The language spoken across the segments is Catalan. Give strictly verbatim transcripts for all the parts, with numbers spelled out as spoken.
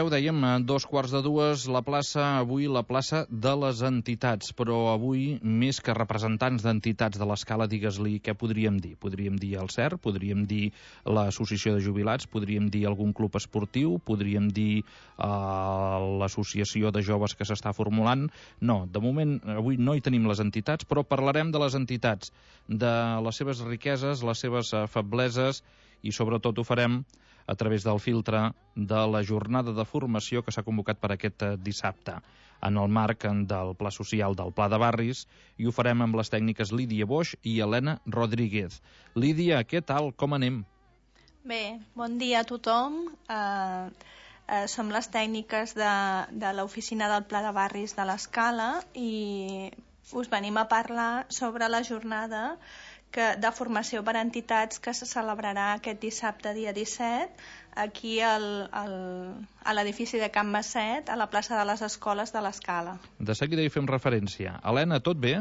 Ja ho dèiem, a dos quarts de dues, la plaça, avui la plaça de les entitats, però avui, més que representants d'entitats de l'escala, digues-li què podríem dir? Podríem dir el C E R, podríem dir l'Associació de Jubilats, podríem dir algun club esportiu, podríem dir eh, l'associació de joves que s'està formulant. No, de moment, avui no hi tenim les entitats, però parlarem de les entitats, de les seves riqueses, les seves eh, febleses, i sobretot ho farem a través del filtre de la jornada de formació que s'ha convocat per aquest dissabte en el marc del Pla Social del Pla de Barris, i ho farem amb les tècniques Lídia Boix i Helena Rodríguez. Lídia, què tal? Com anem? Bé, bon dia a tothom. Uh, uh, som les tècniques de, de l'oficina del Pla de Barris de l'Escala i us venim a parlar sobre la jornada que, de formació per a entitats que se celebrarà aquest dissabte, dia disset, aquí al, al, a l'edifici de Can Masset, a la plaça de les Escoles de l'Escala. De seguida hi fem referència. Helena, tot bé?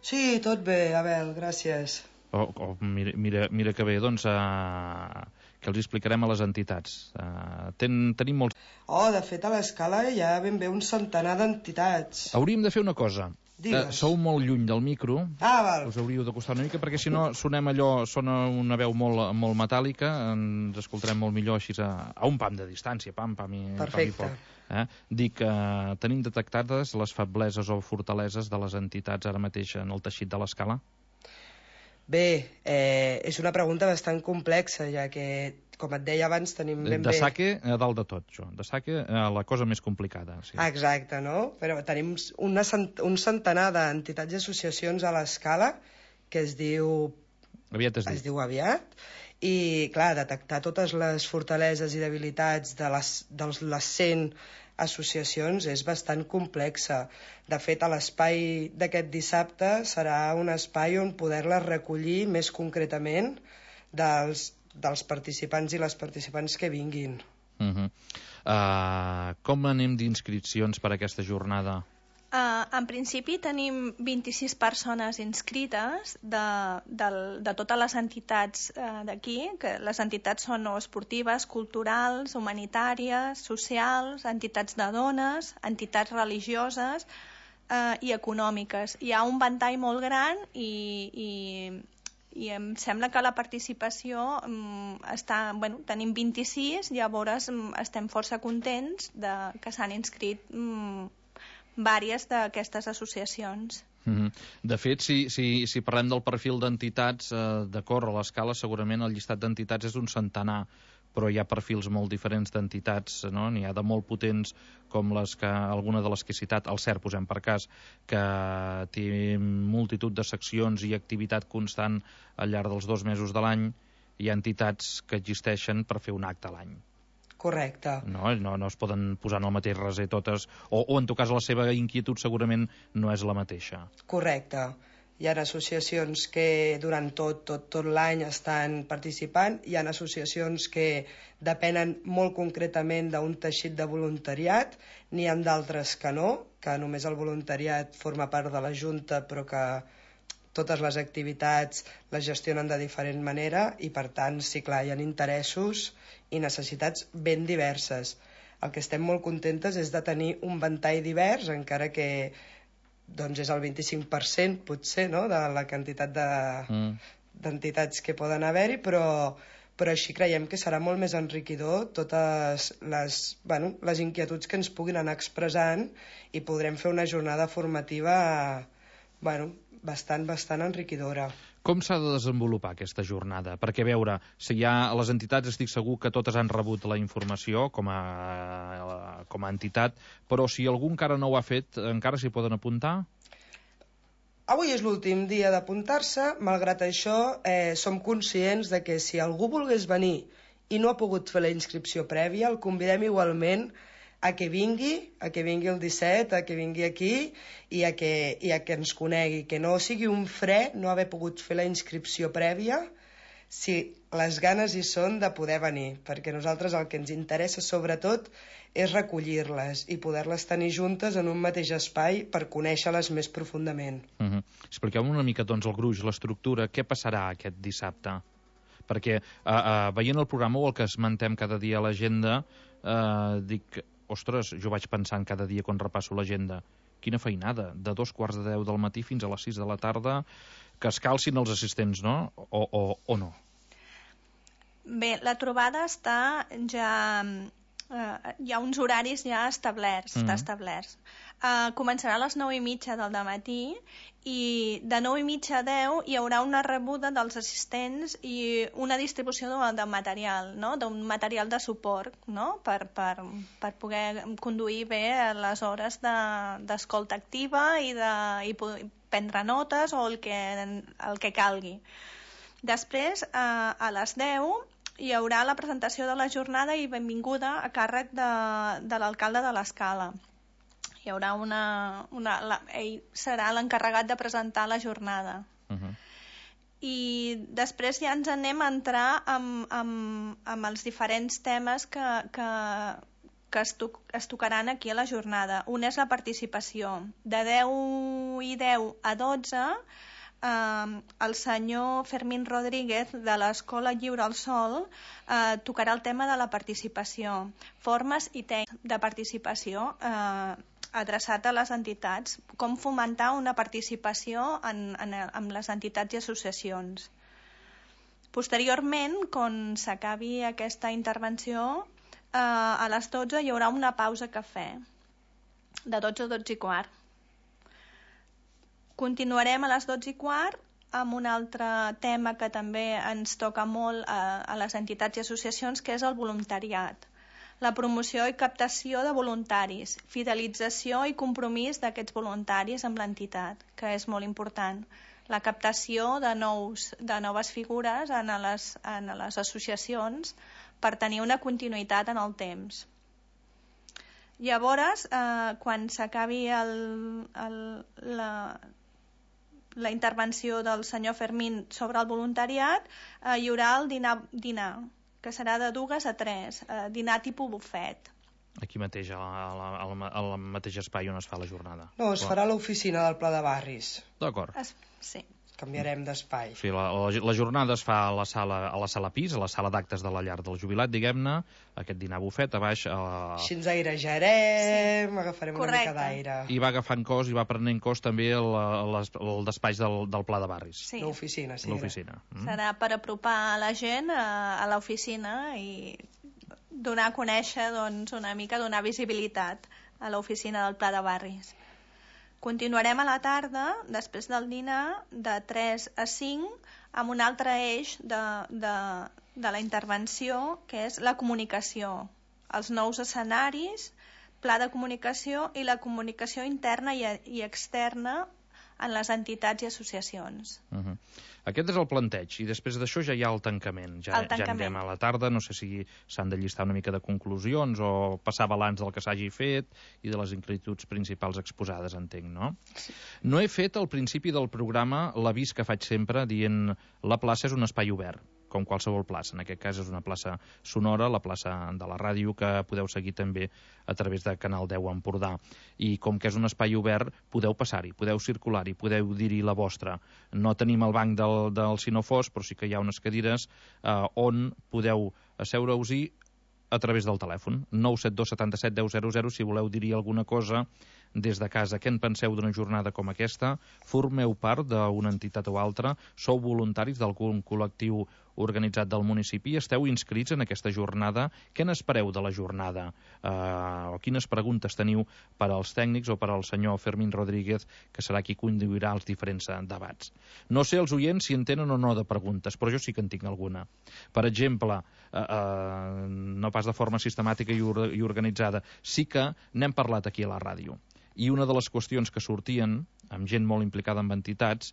Sí, tot bé, Abel, gràcies. Oh, oh, mira, mira, mira que bé, doncs, uh, que els explicarem a les entitats. Uh, ten, tenim molts... Oh, de fet, a l'Escala hi ha ben bé un centenar d'entitats. Hauríem de fer una cosa. Uh, sou molt lluny del micro. Ah, val. Us hauríeu d'acostar una mica, perquè si no sonem allò, sona una veu molt, molt metàl·lica, ens escoltarem molt millor així a, a un pam de distància, pam, pam i, perfecte. Pam i poc. Eh? Dic que uh, tenim detectades les febleses o fortaleses de les entitats ara mateix en el teixit de l'Escala? Bé, eh, és una pregunta bastant complexa, ja que, com et deia abans, tenim ben de bé... saque a dalt de tot, jo. De saque a la cosa més complicada. Sí. Exacte, no? Però tenim una cent... un centenar d'entitats i associacions a l'Escala que es diu... Aviat es, es diu aviat. I, clar, detectar totes les fortaleses i debilitats de les, de les cent associacions és bastant complexa. De fet, a l'espai d'aquest dissabte serà un espai on poder-les recollir més concretament dels, dels participants i les participants que vinguin. Uh -huh. uh, com anem d'inscripcions per a aquesta jornada? Uh, en principi tenim vint-i-sis persones inscrites de, de, de totes les entitats uh, d'aquí, que les entitats són o esportives, culturals, humanitàries, socials, entitats de dones, entitats religioses uh, i econòmiques. Hi ha un ventall molt gran i, i, i em sembla que la participació um, està, bueno, tenim vint-i-sis, llavors um, estem força contents de que s'han inscrit um, vàries d'aquestes associacions. Mm-hmm. De fet, si, si, si parlem del perfil d'entitats, eh, d'acord, a l'Escala segurament el llistat d'entitats és un centenar, però hi ha perfils molt diferents d'entitats, no? N'hi ha de molt potents com les que, alguna de les que he citat, el C E R, posem per cas, que té multitud de seccions i activitat constant al llarg dels dos mesos de l'any. Hi ha entitats que existeixen per fer un acte a l'any. Correcte. No, no, no es poden posar en el mateix raser totes, o, o en tot cas la seva inquietud segurament no és la mateixa. Correcte. Hi ha associacions que durant tot, tot, tot l'any estan participant, hi ha associacions que depenen molt concretament d'un teixit de voluntariat, n'hi ha d'altres que no, que només el voluntariat forma part de la Junta però que totes les activitats les gestionen de diferent manera i per tant, sí, clar, hi ha interessos i necessitats ben diverses. El que estem molt contentes és de tenir un ventall divers, encara que doncs és el vint-i-cinc per cent potser, no?, de la quantitat de, mm. d'entitats que poden haver-hi, però, però així creiem que serà molt més enriquidor totes les, bueno, les inquietuds que ens puguin anar expressant i podrem fer una jornada formativa bueno, bastant, bastant enriquidora. Com s'ha de desenvolupar aquesta jornada? Perquè, a veure, si hi ha les entitats, estic segur que totes han rebut la informació com a, com a entitat, però si algú encara no ho ha fet, encara s'hi poden apuntar? Avui és l'últim dia d'apuntar-se, malgrat això eh, som conscients de que si algú volgués venir i no ha pogut fer la inscripció prèvia, el convidem igualment a que vingui, a que vingui el disset, a que vingui aquí i a que, i a que ens conegui, que no sigui un fre no haver pogut fer la inscripció prèvia si les ganes hi són de poder venir, perquè nosaltres el que ens interessa sobretot és recollir-les i poder-les tenir juntes en un mateix espai per conèixer-les més profundament. Uh-huh. Expliqueu-me una mica doncs el gruix, l'estructura, què passarà aquest dissabte? Perquè uh, uh, veient el programa o el que esmentem cada dia a l'agenda, uh, dic, ostres, jo vaig pensant cada dia quan repasso l'agenda, quina feinada, de dos quarts de deu del matí fins a les sis de la tarda, que es calcin els assistents, no? O, o, o no? Bé, la trobada està ja... Eh, hi ha uns horaris ja establerts, mm. està establerts. Eh, començarà a les nou i mitja del dematí i de nou i mitja a deu hi haurà una rebuda dels assistents i una distribució de, de material, no? D'un material de suport, no? per, per, per poder conduir bé les hores d'escolta de, activa i, de, i prendre notes o el que, el que calgui. Després, eh, a les deu, hi haurà la presentació de la jornada i benvinguda a càrrec de, de l'alcalde de l'Escala. Hi haurà una... una la, ell serà l'encarregat de presentar la jornada. Uh-huh. I després ja ens anem a entrar amb, amb, amb els diferents temes que, que, que es, to, es tocaran aquí a la jornada. Un és la participació. De deu i deu a dotze... Uh, el senyor Fermín Rodríguez de l'Escola Lliure al Sol uh, tocarà el tema de la participació, formes i tècniques de participació uh, adreçat a les entitats, com fomentar una participació en, en, en les entitats i associacions. Posteriorment, quan s'acabi aquesta intervenció, uh, a les dotze hi haurà una pausa cafè, de dotze a dotze i quart. Continuarem a les dotze i quart amb un altre tema que també ens toca molt a, a les entitats i associacions, que és el voluntariat. La promoció i captació de voluntaris, fidelització i compromís d'aquests voluntaris amb l'entitat, que és molt important. La captació de, nous, de noves figures en les, en les associacions per tenir una continuïtat en el temps. Llavors, eh, quan s'acabi el, el, la... la intervenció del senyor Fermín sobre el voluntariat, eh, hi haurà el dinar, dinar, que serà de dues a tres, eh, dinar tipus bufet. Aquí mateix, al mateix espai on es fa la jornada? No, es farà a l'oficina del Pla de Barris. D'acord. Sí. Canviarem d'espai. O sigui, la, la, la jornada es fa a la sala, a la sala pis, a la sala d'actes de la llar del jubilat, diguem-ne, aquest dinar bufet, a baix... A... Així ens airejarem, sí. Agafarem Correcte. Una mica d'aire. I va agafant cos i va prenent cos també el, el, el despatx del, del Pla de Barris. Sí. L'oficina, sí. L'oficina. Mm. Serà per apropar la gent a, a l'oficina i donar a conèixer, doncs, una mica, donar visibilitat a l'oficina del Pla de Barris. Continuarem a la tarda, després del dinar, de tres a cinc, amb un altre eix de, de, de la intervenció, que és la comunicació, els nous escenaris, pla de comunicació i la comunicació interna i, i externa en les entitats i associacions. Uh-huh. Aquest és el planteig, i després d'això ja hi ha el tancament. Ja, el tancament. Ja anem a la tarda, no sé si s'han de llistar una mica de conclusions o passar balanç del que s'hagi fet i de les inquietuds principals exposades, entenc, no? Sí. No he fet al principi del programa l'avís que faig sempre dient la plaça és un espai obert, com qualsevol plaça. En aquest cas és una plaça sonora, la plaça de la ràdio, que podeu seguir també a través de Canal deu Empordà. I com que és un espai obert, podeu passar-hi, podeu circular-hi, podeu dir-hi la vostra. No tenim el banc del, del Sinofós, però sí que hi ha unes cadires eh, on podeu asseure-us-hi a través del telèfon. nou set dos setanta-set deu zero zero, si voleu dir-hi alguna cosa des de casa. Què en penseu d'una jornada com aquesta? Formeu part d'una entitat o altra? Sou voluntaris d'algun col·lectiu organitzat del municipi? Esteu inscrits en aquesta jornada? Què n'espereu de la jornada? Uh, o quines preguntes teniu per als tècnics o per al senyor Fermín Rodríguez, que serà qui conduirà els diferents debats? No sé els oients si en tenen o no de preguntes, però jo sí que en tinc alguna. Per exemple, uh, uh, no pas de forma sistemàtica i, or i organitzada, sí que n'hem parlat aquí a la ràdio. I una de les qüestions que sortien, amb gent molt implicada en entitats,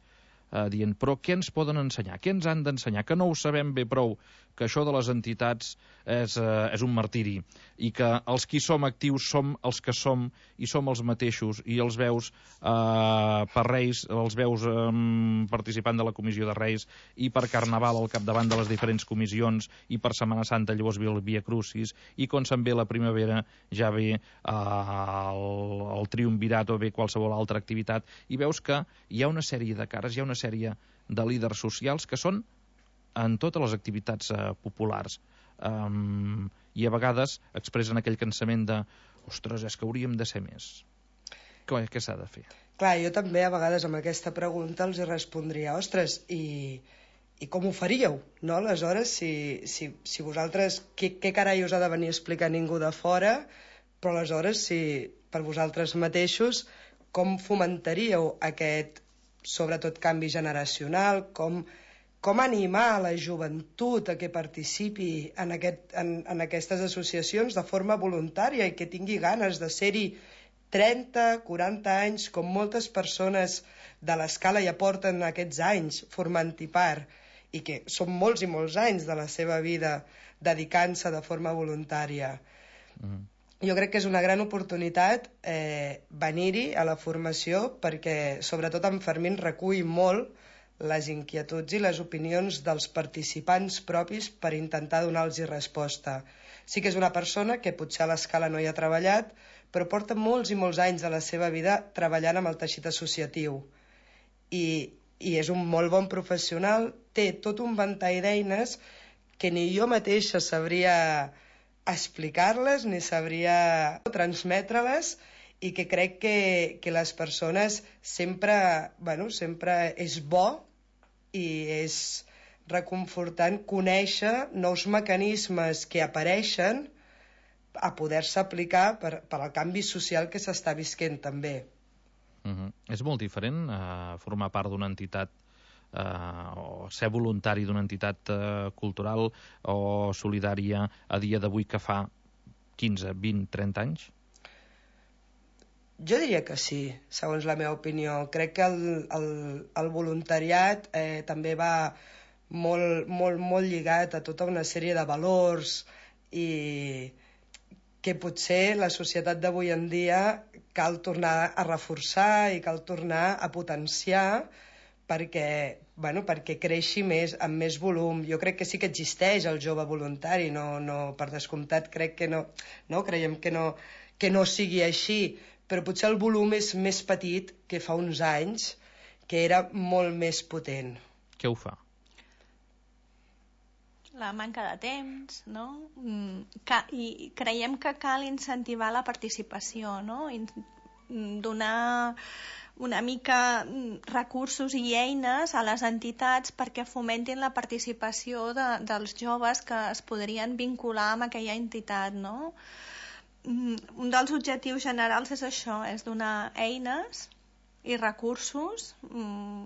eh, dient, però què ens poden ensenyar? Què ens han d'ensenyar? Que no ho sabem bé prou, que això de les entitats és, eh, és un martiri, i que els qui som actius som els que som i som els mateixos, i els veus eh, per Reis, els veus eh, participant de la comissió de Reis, i per Carnaval al capdavant de les diferents comissions, i per Setmana Santa llavors ve el Via Crucis, i quan se'n ve la primavera ja ve eh, el, el triumvirat o ve qualsevol altra activitat, i veus que hi ha una sèrie de cares, hi ha una sèrie de líders socials que són en totes les activitats eh, populars, um, i a vegades expressen aquell cansament de ostres, és que hauríem de ser més. Què, què s'ha de fer? Clar, jo també a vegades amb aquesta pregunta els respondria, ostres, i, i com ho faríeu? No? Aleshores, si, si, si vosaltres, què, què carai us ha de venir a explicar ningú de fora, però aleshores, si per vosaltres mateixos, com fomentaríeu aquest, sobretot, canvi generacional, com, com animar la joventut a que participi en, aquest, en, en aquestes associacions de forma voluntària i que tingui ganes de ser-hi trenta, quaranta anys, com moltes persones de l'escala ja porten aquests anys formant-hi part, i que són molts i molts anys de la seva vida dedicant-se de forma voluntària. Mm. Jo crec que és una gran oportunitat eh, venir-hi a la formació perquè, sobretot, en Fermín recull molt les inquietuds i les opinions dels participants propis per intentar donar-los resposta. Sí que és una persona que potser a l'escala no hi ha treballat, però porta molts i molts anys de la seva vida treballant amb el teixit associatiu. I, i és un molt bon professional, té tot un ventall d'eines que ni jo mateixa sabria explicar-les ni sabria transmetre-les, i que crec que, que les persones sempre, bueno, sempre és bo i és reconfortant conèixer nous mecanismes que apareixen a poder-se aplicar per, per al canvi social que s'està visquent també. Uh-huh. És molt diferent uh, formar part d'una entitat uh, o ser voluntari d'una entitat uh, cultural o solidària a dia d'avui que fa quinze, vint, trenta anys? Jo diria que sí, segons la meva opinió. Crec que el, el, el voluntariat eh, també va molt, molt, molt lligat a tota una sèrie de valors i que potser la societat d'avui en dia cal tornar a reforçar i cal tornar a potenciar perquè, bueno, perquè creixi més, amb més volum. Jo crec que sí que existeix el jove voluntari, no, no, per descomptat crec que no, no creiem que no, que no sigui així, però potser el volum és més petit que fa uns anys, que era molt més potent. Què ho fa? La manca de temps, no? I creiem que cal incentivar la participació, no? Donar una mica recursos i eines a les entitats perquè fomentin la participació de, dels joves que es podrien vincular amb aquella entitat, no? Un dels objectius generals és això, és donar eines i recursos mm,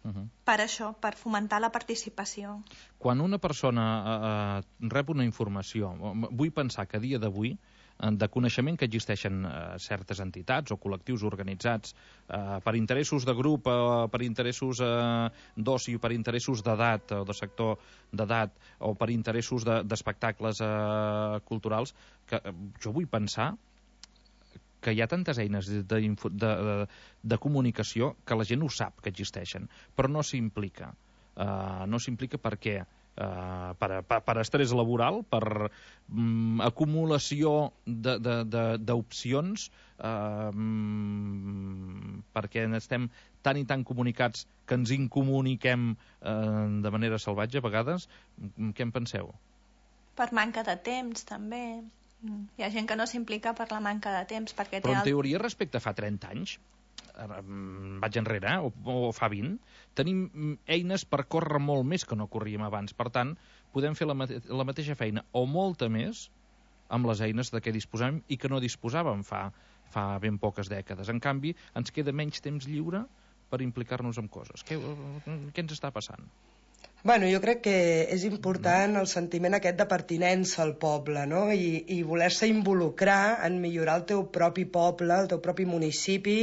uh-huh. per això, per fomentar la participació. Quan una persona eh, rep una informació, vull pensar que a dia d'avui, de coneixement que existeixen eh, certes entitats o col·lectius organitzats eh, per interessos de grup, eh, per interessos eh, d'oci, per interessos d'edat o de sector d'edat o per interessos d'espectacles de, eh, culturals, que eh, jo vull pensar que hi ha tantes eines de, de, de, de comunicació que la gent ho sap que existeixen, però no s'implica. Uh, no s'implica per què? Uh, per, per, per estrès laboral, per um, acumulació d'opcions, uh, um, perquè estem tan i tan comunicats que ens incomuniquem uh, de manera salvatge a vegades. Què en penseu? Per manca de temps, també. Hi ha gent que no s'implica per la manca de temps. Perquè Però en té teoria, respecte a fa trenta anys, vaig enrere, eh? o, o fa vint, tenim eines per córrer molt més que no corríem abans. Per tant, podem fer la, mate la mateixa feina o molta més amb les eines de què disposem i que no disposàvem fa, fa ben poques dècades. En canvi, ens queda menys temps lliure per implicar-nos en coses. Què, què ens està passant? Bueno, jo crec que és important el sentiment aquest de pertinença al poble, no? I, i voler-se involucrar en millorar el teu propi poble, el teu propi municipi,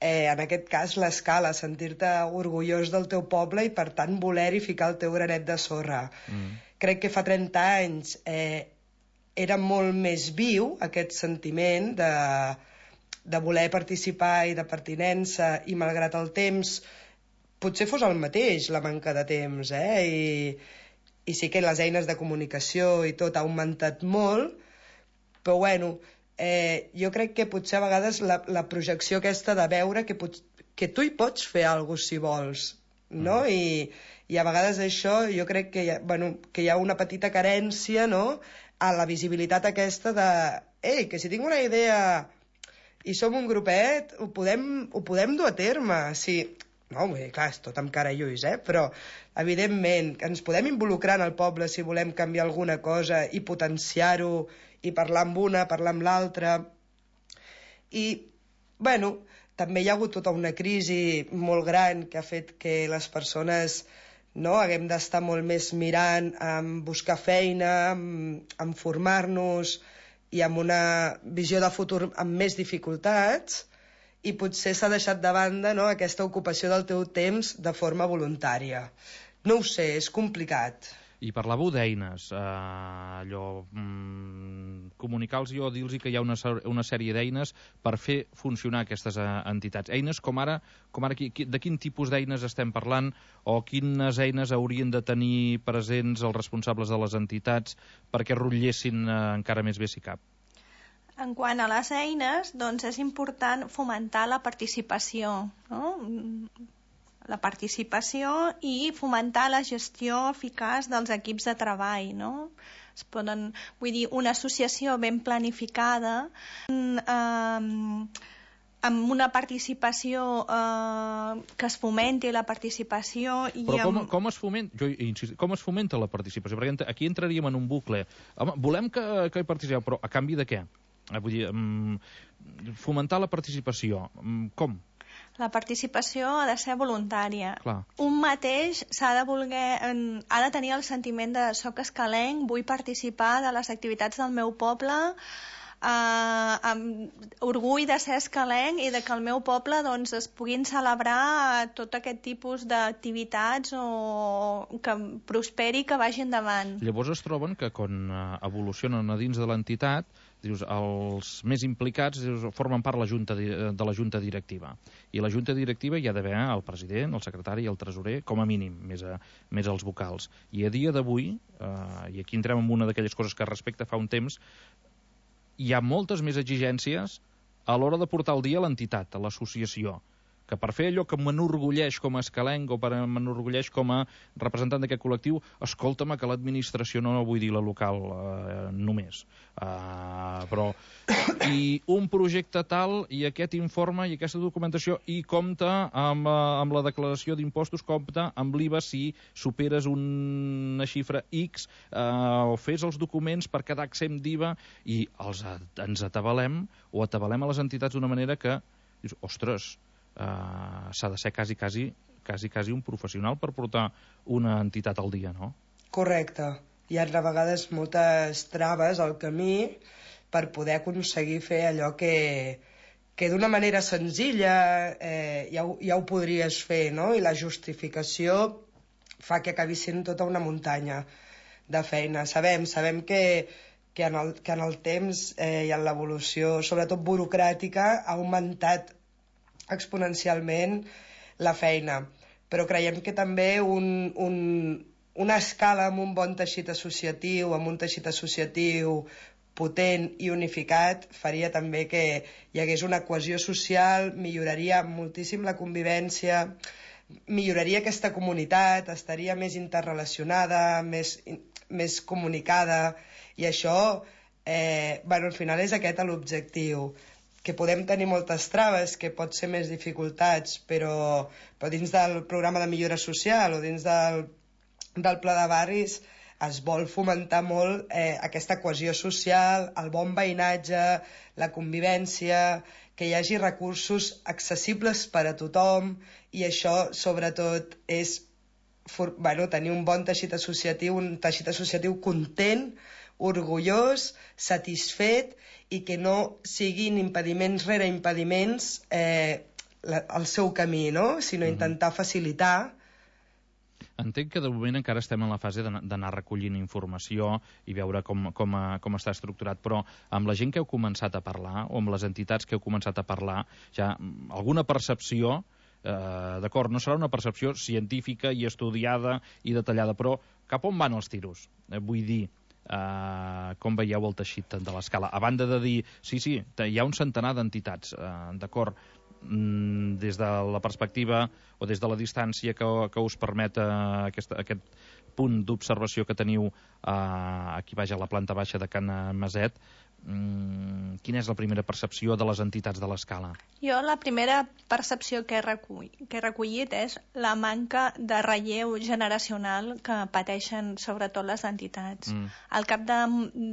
eh, en aquest cas l'escala, sentir-te orgullós del teu poble i per tant voler-hi ficar el teu granet de sorra. Mm. Crec que fa trenta anys eh, era molt més viu aquest sentiment de, de voler participar i de pertinença, i malgrat el temps potser fos el mateix, la manca de temps, eh? I, i sí que les eines de comunicació i tot ha augmentat molt, però bueno, eh, jo crec que potser a vegades la, la projecció aquesta de veure que, pot, que tu hi pots fer alguna cosa si vols, no? Mm. I, i a vegades això jo crec que hi ha, bueno, que hi ha una petita carència, no?, a la visibilitat aquesta de, ei, que si tinc una idea i som un grupet, ho podem, ho podem dur a terme. Sí, no, bé, clar, és tot amb cara i ulls, eh? Però, evidentment, que ens podem involucrar en el poble si volem canviar alguna cosa i potenciar-ho, i parlar amb una, parlar amb l'altra. I, bueno, també hi ha hagut tota una crisi molt gran que ha fet que les persones no, haguem d'estar molt més mirant en buscar feina, en, en formar-nos i amb una visió de futur amb més dificultats, i potser s'ha deixat de banda, no, aquesta ocupació del teu temps de forma voluntària. No ho sé, és complicat. I parlàveu d'eines, eh, allò, mm, comunicar-los o dir-los que hi ha una, una sèrie d'eines per fer funcionar aquestes eh, entitats. Eines com ara, com ara qui, qui, de quin tipus d'eines estem parlant, o quines eines haurien de tenir presents els responsables de les entitats perquè rotllessin eh, encara més bé si cap? En quant a les eines, doncs és important fomentar la participació, no? La participació i fomentar la gestió eficaç dels equips de treball, no? Es poden, vull dir, una associació ben planificada, eh, amb una participació eh, que es fomenti la participació i però com, amb... com es fomenta jo insisto, com es fomenta la participació? Perquè aquí entraríem en un bucle. Home, volem que, que hi participeu, però a canvi de què? Vull dir, um, fomentar la participació, um, com? La participació ha de ser voluntària. Clar. Un mateix s'ha de voler, ha de tenir el sentiment de soc escalenc, vull participar de les activitats del meu poble, eh, amb orgull de ser escalenc i de que al meu poble doncs, es puguin celebrar tot aquest tipus d'activitats o que prosperi, que vagi endavant. Llavors es troben que quan evolucionen a dins de l'entitat, dius, els més implicats dius, formen part la junta de, de la junta directiva. I la junta directiva hi ha d'haver el president, el secretari i el tresorer, com a mínim, més, a, més els vocals. I a dia d'avui, eh, i aquí entrem en una d'aquelles coses que respecte fa un temps, hi ha moltes més exigències a l'hora de portar al dia l'entitat, a l'associació, que per fer allò que m'enorgulleix com a escalenc o per m'enorgulleix com a representant d'aquest col·lectiu, escolta'm, que l'administració, no vull dir la local eh, només, uh, però i un projecte tal i aquest informe i aquesta documentació i compta amb, uh, amb la declaració d'impostos, compta amb l'I V A si superes una xifra X, uh, o fes els documents per quedar exempt d'I V A, i els, ens atabalem o atabalem a les entitats d'una manera que dius, ostres, Uh, s'ha de ser quasi, quasi, quasi, quasi un professional per portar una entitat al dia, no? Correcte. Hi ha a vegades moltes traves al camí per poder aconseguir fer allò que, que d'una manera senzilla eh, ja, ho, ja ho podries fer, no? I la justificació fa que acabi sent tota una muntanya de feina. Sabem, sabem que, que, en, el, que en el temps eh, i en l'evolució, sobretot burocràtica, ha augmentat exponencialment la feina, però creiem que també un, un, una escala amb un bon teixit associatiu, amb un teixit associatiu potent i unificat, faria també que hi hagués una cohesió social, milloraria moltíssim la convivència, milloraria aquesta comunitat, estaria més interrelacionada, més, més comunicada, i això, eh, bueno, al final és aquest l'objectiu, que podem tenir moltes traves, que pot ser més dificultats, però, però dins del programa de millora social o dins del, del pla de barris es vol fomentar molt eh, aquesta cohesió social, el bon veïnatge, la convivència, que hi hagi recursos accessibles per a tothom, i això sobretot és for, bueno, tenir un bon teixit associatiu, un teixit associatiu content, orgullós, satisfet, i que no siguin impediments rere impediments eh, la, el seu camí, no? Sinó intentar facilitar. Entenc que de moment encara estem en la fase d'anar recollint informació i veure com, com, com està estructurat, però amb la gent que heu començat a parlar, o amb les entitats que heu començat a parlar, ja alguna percepció, eh, d'acord, no serà una percepció científica i estudiada i detallada, però cap on van els tiros? Eh, vull dir, Uh, com veieu el teixit de l'escala? A banda de dir, sí, sí, hi ha un centenar d'entitats, uh, d'acord, mm, des de la perspectiva o des de la distància que, que us permet uh, aquest, aquest punt d'observació que teniu uh, aquí baix a la planta baixa de Can Maset, mm, quina és la primera percepció de les entitats de l'Escala? Jo la primera percepció que he, recull, que he recollit és la manca de relleu generacional que pateixen sobretot les entitats. Mm. Al cap de,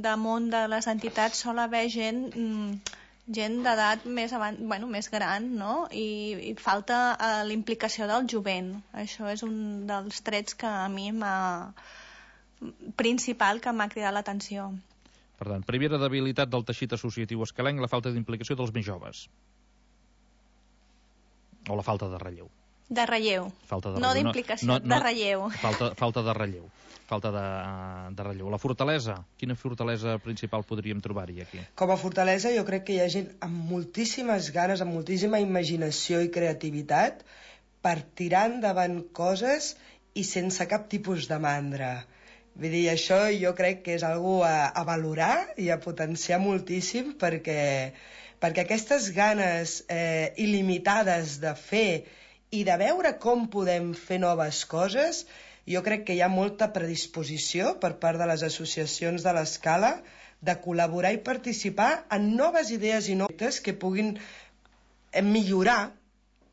de món de les entitats sol haver gent... Mm, gent d'edat més, avant, bueno, més gran, no? I, i falta uh, l'implicació del jovent. Això és un dels trets que a mi m'ha... principal que m'ha cridat l'atenció. Per tant, primera debilitat del teixit associatiu escalenc, la falta d'implicació dels més joves. O la falta de relleu. De relleu. Falta de no relleu. d'implicació, no, no, de relleu. Falta, falta de relleu. Falta de, de relleu. La fortalesa, quina fortalesa principal podríem trobar-hi aquí? Com a fortalesa jo crec que hi ha gent amb moltíssimes ganes, amb moltíssima imaginació i creativitat per tirar endavant coses i sense cap tipus de mandra. Vull dir, això jo crec que és algo a, a valorar i a potenciar moltíssim perquè, perquè aquestes ganes eh, il·limitades de fer i de veure com podem fer noves coses, jo crec que hi ha molta predisposició per part de les associacions de l'Escala de col·laborar i participar en noves idees i noves que puguin millorar,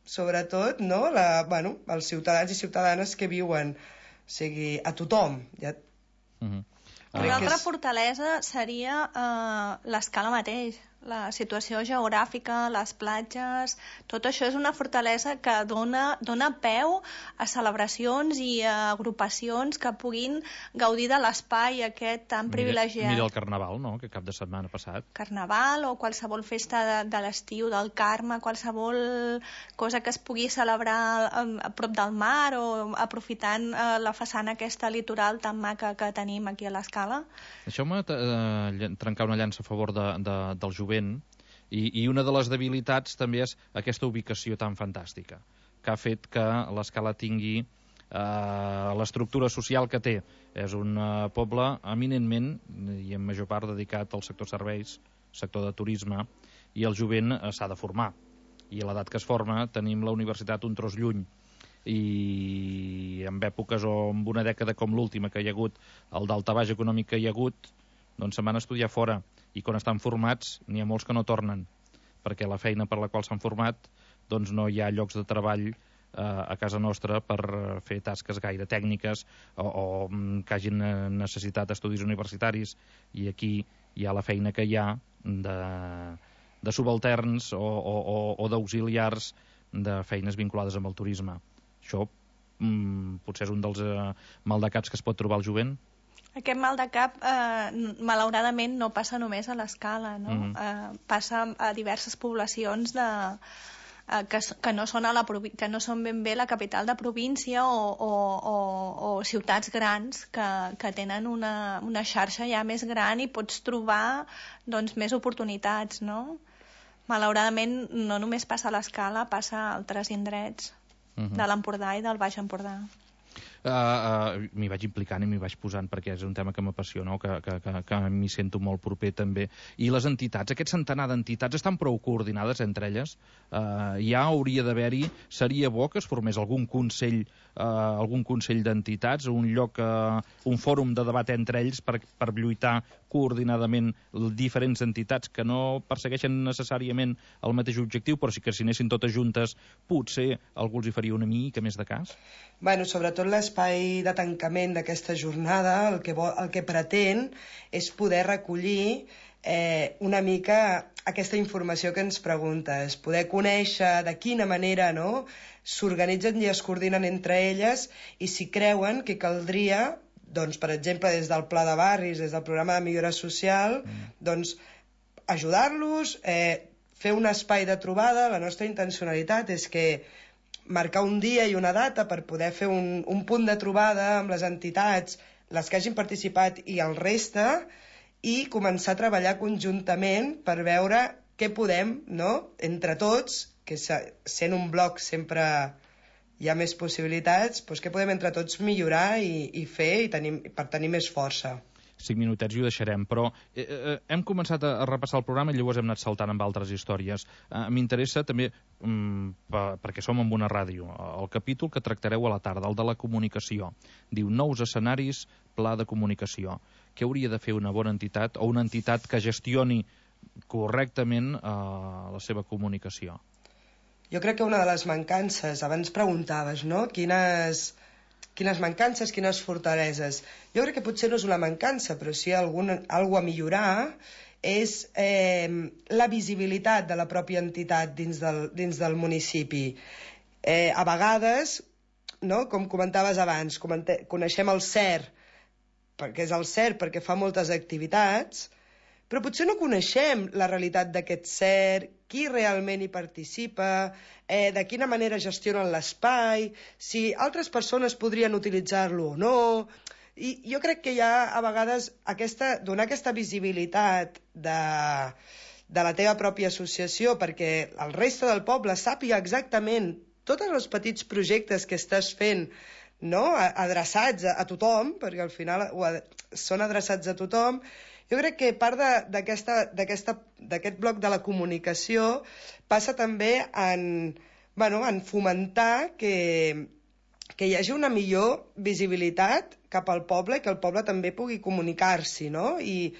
sobretot, no, la, bueno, els ciutadans i ciutadanes que viuen, o sigui, a tothom. Ja... Uh-huh. Una altra és... fortalesa seria uh, l'Escala mateix. La situació geogràfica, les platges, tot això és una fortalesa que dona, dona peu a celebracions i a agrupacions que puguin gaudir de l'espai aquest tan mira, privilegiat. Mira el Carnaval, no?, que cap de setmana passat. Carnaval o qualsevol festa de, de l'estiu, del Carme, qualsevol cosa que es pugui celebrar a, a prop del mar o aprofitant eh, la façana aquesta litoral tan maca que tenim aquí a l'Escala. Deixeu-me eh, trencar una llança a favor de, de, del jovent. I, i una de les debilitats també és aquesta ubicació tan fantàstica, que ha fet que l'Escala tingui eh, l'estructura social que té. És un eh, poble eminentment, i en major part dedicat al sector serveis, sector de turisme, i el jovent eh, s'ha de formar. I a l'edat que es forma tenim la universitat un tros lluny. I en èpoques o en una dècada com l'última que hi ha hagut, el daltabaix econòmic que hi ha hagut, doncs se'n van estudiar fora. I quan estan formats n'hi ha molts que no tornen, perquè la feina per la qual s'han format doncs no hi ha llocs de treball eh, a casa nostra per fer tasques gaire tècniques o, o que hagin necessitat estudis universitaris, i aquí hi ha la feina que hi ha de, de subalterns o, o, o, o d'auxiliars de feines vinculades amb el turisme. Això mm, potser és un dels eh, maldecaps que es pot trobar al jovent. Aquest mal de cap, eh, malauradament, no passa només a l'Escala, no? Mm. Eh, passa a diverses poblacions de, eh, que, que, no són a la, que no són ben bé la capital de província o, o, o, o ciutats grans que, que tenen una, una xarxa ja més gran i pots trobar doncs, més oportunitats, no? Malauradament, no només passa a l'Escala, passa a altres indrets mm-hmm. de l'Empordà i del Baix Empordà. Uh, uh, m'hi vaig implicant i m'hi vaig posant perquè és un tema que m'apassiona, que, que, que, que m'hi sento molt proper també. I les entitats, aquest centenar d'entitats estan prou coordinades entre elles? Uh, ja hauria d'haver-hi, seria bo que es formés algun consell uh, algun consell d'entitats, un lloc, uh, un fòrum de debat entre ells per, per lluitar coordinadament diferents entitats que no persegueixen necessàriament el mateix objectiu, però sí que si anessin totes juntes potser algú els hi faria una mica més de cas? Bueno, sobretot l'espai de tancament d'aquesta jornada el que, vol, el que pretén és poder recollir eh, una mica aquesta informació que ens preguntes, poder conèixer de quina manera no, s'organitzen i es coordinen entre elles i si creuen que caldria, doncs, per exemple, des del Pla de Barris, des del Programa de Millora Social, mm. doncs, ajudar-los, eh, fer un espai de trobada. La nostra intencionalitat és que marcar un dia i una data per poder fer un, un punt de trobada amb les entitats, les que hagin participat i el reste, i començar a treballar conjuntament per veure què podem, no?, entre tots, que sent un bloc sempre hi ha més possibilitats, doncs què podem entre tots millorar i, i fer i tenim, per tenir més força. Cinc minutets i ho deixarem, però eh, eh, hem començat a, a repassar el programa i llavors hem anat saltant amb altres històries. Eh, M'interessa també, mm, per, perquè som en una ràdio, el capítol que tractareu a la tarda, el de la comunicació. Diu nous escenaris, pla de comunicació. què hauria de fer una bona entitat o una entitat que gestioni correctament eh, la seva comunicació? Jo crec que una de les mancances, abans preguntaves, no? Quines, quines mancances, quines fortaleses. Jo crec que potser no és una mancança, però sí alguna cosa a millorar, és eh, la visibilitat de la pròpia entitat dins del, dins del municipi. Eh, a vegades, no? Com comentaves abans, comente, coneixem el C E R, perquè és el C E R, perquè fa moltes activitats, però potser no coneixem la realitat d'aquest C E R, qui realment hi participa, eh, de quina manera gestionen l'espai, si altres persones podrien utilitzar-lo o no. I jo crec que hi ha a vegades aquesta, donar aquesta visibilitat de, de la teva pròpia associació perquè el reste del poble sàpiga exactament tots els petits projectes que estàs fent, no? Adreçats a, a tothom, perquè al final són adreçats a tothom. Jo crec que part d'aquest bloc de la comunicació passa també en, bueno, en fomentar que, que hi hagi una millor visibilitat cap al poble i que el poble també pugui comunicar-s'hi, no? I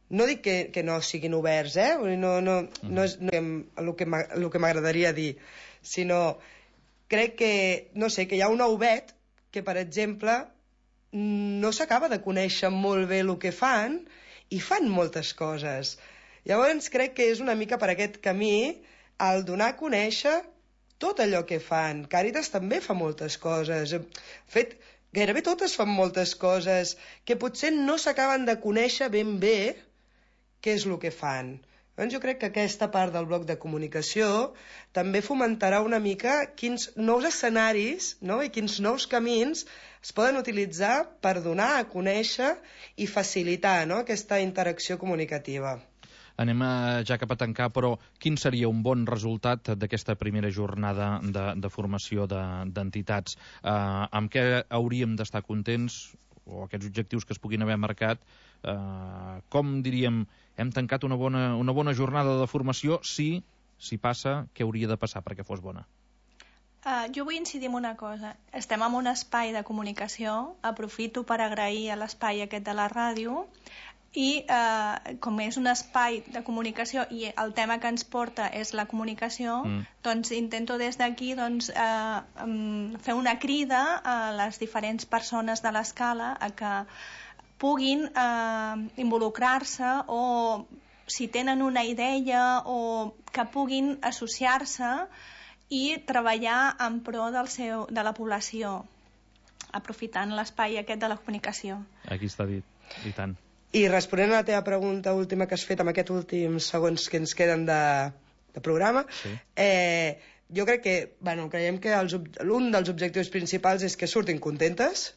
no dic que, que no siguin oberts, eh? No, no, no és no, el que m'agradaria dir, sinó crec que, no sé, que hi ha un ouet que, per exemple, no s'acaba de conèixer molt bé el que fan i fan moltes coses. Llavors crec que és una mica per aquest camí el donar a conèixer tot allò que fan. Càritas també fa moltes coses. De fet, gairebé totes fan moltes coses que potser no s'acaben de conèixer ben bé què és el que fan. Llavors jo crec que aquesta part del bloc de comunicació també fomentarà una mica quins nous escenaris, no? I quins nous camins es poden utilitzar per donar a conèixer i facilitar, no? Aquesta interacció comunicativa. Anem a, ja cap a tancar, però quin seria un bon resultat d'aquesta primera jornada de, de formació d'entitats? De, eh, amb què hauríem d'estar contents, o aquests objectius que es puguin haver marcat? Eh, com diríem, hem tancat una bona, una bona jornada de formació si, si passa, què hauria de passar perquè fos bona? Uh, jo vull incidir en una cosa. Estem en un espai de comunicació, aprofito per agrair a l'espai aquest de la ràdio, i eh, com és un espai de comunicació i el tema que ens porta és la comunicació, mm. doncs intento des d'aquí doncs, eh, fer una crida a les diferents persones de l'escala a que puguin eh, involucrar-se o si tenen una idea o que puguin associar-se i treballar en pro del seu, de la població, aprofitant l'espai aquest de la comunicació. Aquí està dit, i tant. I responent a la teva pregunta última que has fet amb aquests últims segons que ens queden de, de programa, sí. eh, jo crec que, bueno, creiem que un dels objectius principals és que surtin contentes,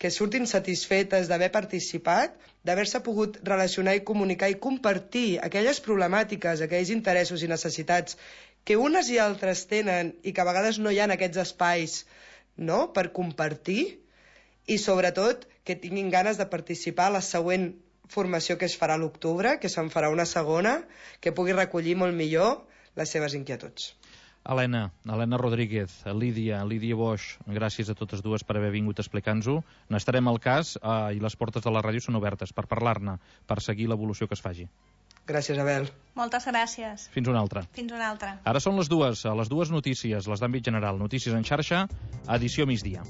que surtin satisfetes d'haver participat, d'haver-se pogut relacionar i comunicar i compartir aquelles problemàtiques, aquells interessos i necessitats que unes i altres tenen i que a vegades no hi ha en aquests espais, no?, per compartir, i sobretot que tinguin ganes de participar a la següent formació que es farà a l'octubre, que se'n farà una segona, que pugui recollir molt millor les seves inquietuds. Helena, Helena Rodríguez, Lídia, Lídia Boix, gràcies a totes dues per haver vingut a explicar-nos-ho. N'estarem al cas eh, i les portes de la ràdio són obertes per parlar-ne, per seguir l'evolució que es faci. Gràcies, Abel. Moltes gràcies. Fins una altra. Fins una altra. Ara són les dues, les dues notícies, les d'àmbit general. Notícies en xarxa, edició migdia.